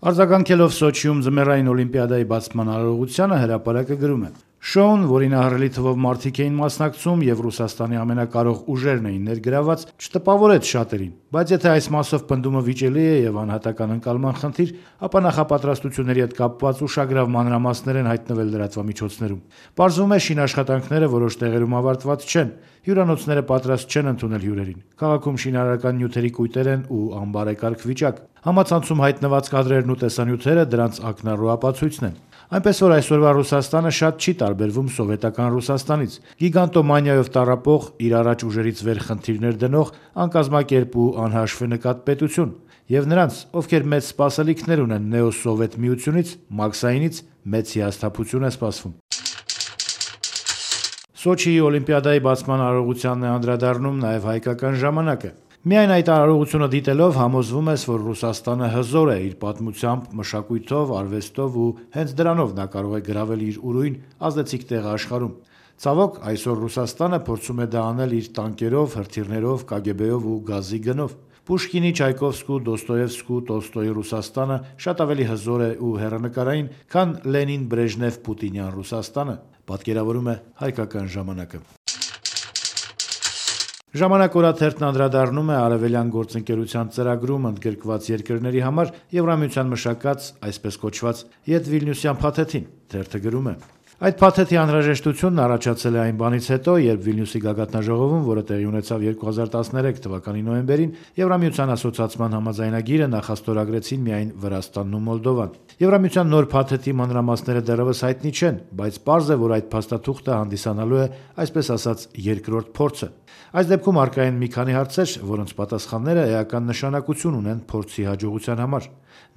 Արձագանքելով Սոչիում ձմեռային օլիմպիադայի բացման արարողությանը հրապարակը գրում է. Շոուն, որին ահռելի թվով մարդիկ էին մասնակցում եւ Ռուսաստանի ամենակարող ուժերն էին ներգրաված, չտպավորեց շատերին, բայց եթե այս մասով պնդումը վիճելի է եւ անհատական ընկալման խնդիր, ապա նախապատրաստությունների հետ կապված ուշագրավ մանրամասներ են հայտնվել լրատվամիջոցներում։ Պարզվում է, շինաշխատանքները որոշ տեղերում ավարտված չեն, հյուրանոցները պատրաստ չեն ընդունել հյուրերին։ Քաղաքում շինարարական նյութերի կույտեր են ու անբարեկարգ վիճակ։ Համացանցում հայտնված կադրերն ու տեսանյութերը դրանց ակնառու ապացույցն են։ Այնպես որ այսօրվա Ռուսաստանը շատ չի տարբերվում սովետական Ռուսաստանից։ Գիգանտոմանիայով տառապող, իր առաջ ուժերից վեր խնդիրներ դնող, անկազմակերպ ու անհաշվի նկատ պետություն, եւ նրանց, ովքեր մեծ սպասելիքներ ունեն նեոսովետ միությունից, Մաքսայինից, մեծ հիասթափություն է սպասվում։ Սոչիի օլիմպիադայի բացման արարողությանն է անդրադառնում նաեւ հայկական ժամանակը։ Միայն այդ արարողությունը դիտելով համոզվում ես, որ Ռուսաստանը հզոր է իր պատմությամբ, մշակույթով, արվեստով ու հենց դրանով նա կարող է գրավել իր ուրույն ազդեցիկ տեղը աշխարհում։ Ցավոք, այսօր Ռուսաստանը փորձում է դա անել իր տանկերով, հրթիռներով, KGB-ով ու գազի գնով։ Պուշկինի, Չայկովսկու, Դոստոևսկու, Տոլստոյի Ռուսաստանը շատ ավելի հզոր է ու հեռանկարային, քան Լենին, Բրեժնև, Պուտինյան Ռուսաստանը, պատկերավորում է հայկական ժամանակը։ Ժամանակ օրաթերթն անդրադառնում է արևելյան գործընկերության ծրագրում ընդգրկված երկրների համար Եվրամիության մշակած, այսպես կոչված, Յետ-Վիլնյուսյան փաթեթին։ Թերթը գրում է. Այդ փաթեթի անհրաժեշտությունն առաջացել է այն բանից հետո, երբ Վիլնյուսի գագաթնաժողովում, որը տեղի ունեցավ 2013 թվականի նոյեմբերին, Եվրամիության ասոցիացման համաձայնագիրը նախաստորագրեցին միայն Վրաստանն ու Մոլդովան։ Եվրամիության նոր փաթեթի մանրամասները դեռևս հայտնի չեն, բայց պարզ է, որ այդ փաստաթուղթը հանդիսանալու է, այսպես ասած, երկրորդ փորձը։ Այս դեպքում առկա են մի քանի հարցեր, որոնց պատասխանները էական նշանակություն ունեն փորձի հաջողության համար։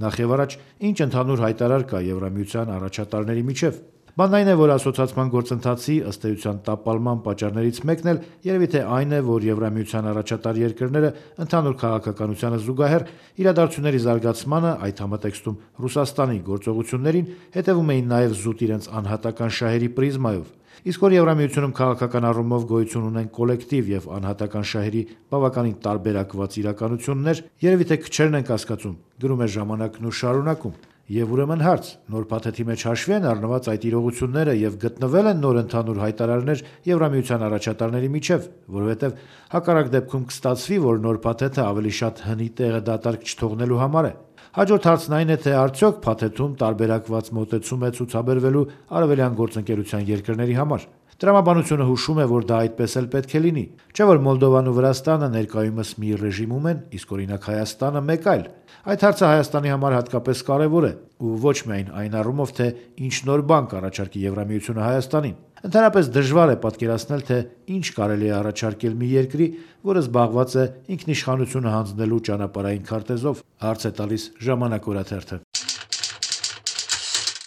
Նախ եւ առաջ, ինչ ընդհանուր հայտարար կա Եվրամիության առաջատարների միջև։ Բանն այն է, որ ասոցիացման գործընթացի ըստ էության տապալման պատճառներից մեկն էլ երևի թե այն է, որ Եվրամիության առաջատար երկրները ընդհանուր քաղաքականությանը զուգահեռ իրադարձությունների զարգացմանը, այդ համատեքստում Ռուսաստանի գործողություններին, հետևում էին նաև զուտ իրենց անհատական շահերի պրիզմայով։ Իսկ որ Եվրամիությունում քաղաքական առումով գոյություն ունեն կոլեկտիվ եւ անհատական շահերի բավականին տարբերակված իրականություններ, երևի թե քչերն են կասկածում, գրում է ժամանակն ու շարունակում։ Եվ ուրեմն հարց, նոր փաթեթի մեջ հաշվի են առնված այդ իրողությունները եւ գտնվել են նոր ընդհանուր հայտարարներ Եվրամիության առաջատարների միջև, որովհետեւ հակառակ դեպքում կստացվի, որ նոր փաթեթը ավելի շատ հնի տեղը դատարկ չթողնելու համար է։ Հաջորդ հարցն այն է, թե արդյոք փաթեթում տարբերակված մոտեցում է ցուցաբերվելու արևելյան գործընկերության երկրների համար։ Տրամաբանությունը հուշում է, որ դա այդպես էլ պետք է լինի։ Չէ՞ որ Մոլդովան ու Վրաստանը ներկայումս մի ռեժիմում են, իսկ օրինակ Հայաստանը մեկ այլ։ Այդ հարցը Հայաստանի համար հատկապես կարևոր է, ու ոչ միայն այն առումով, թե ինչ նոր բան կառաջարկի Եվրամիությունը Հայաստանին։ Ընդհանրապես դժվար է պատկերացնել, թե ինչ կարելի է առաջարկել մի երկրի, որը զբաղված է ինքնիշխանությունը հանձնելու ճանապարհային քարտեզով, հարց է տալիս Ժամանակ օրաթերթը։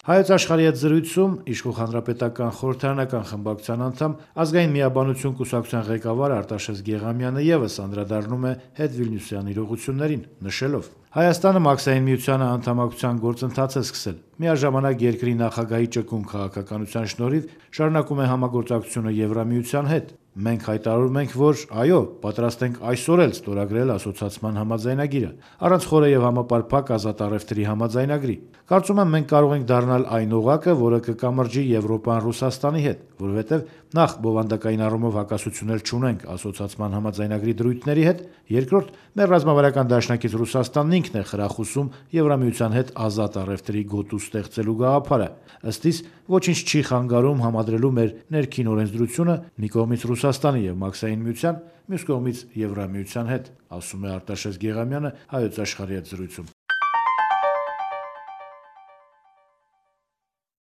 Հայոց աշխարհի հետ զրույցում Իշխող հանրապետական խորհրդարանական խմբակցության անդամ ազգային միաբանություն կուսակցության ղեկավար Արտաշես Գեղամյանը եւս անդրադառնում է Հետ-Վիլնյուսյան իրողություններին, նշելով. Հայաստանը Մաքսային միությանը անդամակցության գործընթաց է սկսել։ Միաժամանակ երկրի նախագահի ճկուն քաղաքականության շնորհիվ շարունակում է համագործակցությունը Եվրամիության հետ։ Մենք հայտարարում ենք, որ այո, պատրաստ ենք այսօր էլ ստորագրել ասոցիացման համաձայնագիրը, առանց խորը եւ համապարփակ ազատ առևտրի համաձայնագրի։ Կարծում եմ, մենք կարող ենք դառնալ այն օղակը, որը կկամրջի Եվրոպան Ռուսաստանի հետ, որովհետեւ նախ բովանդակային առումով հակասություններ չունենք ասոցիացման համաձայնագրի դրույթների հետ, երկրորդ, մեր ռազմավարական դաշնակից Ռուսաստանն ինքն է խրախուսում Եվրամիության հետ ազատ առևտրի գոտու ստեղծելու գաղափարը։ Ըստ իս, ոչինչ չի խանգարում համադրելու մեր ներքին օրենսդրությունը մի կողմից Ռուսաստանի եւ Մաքսային միության, մյուս կողմից Եվրամիության հետ, ասում է Արտաշես Գեղամյանը Հայոց աշխարհի հետ զրույցում։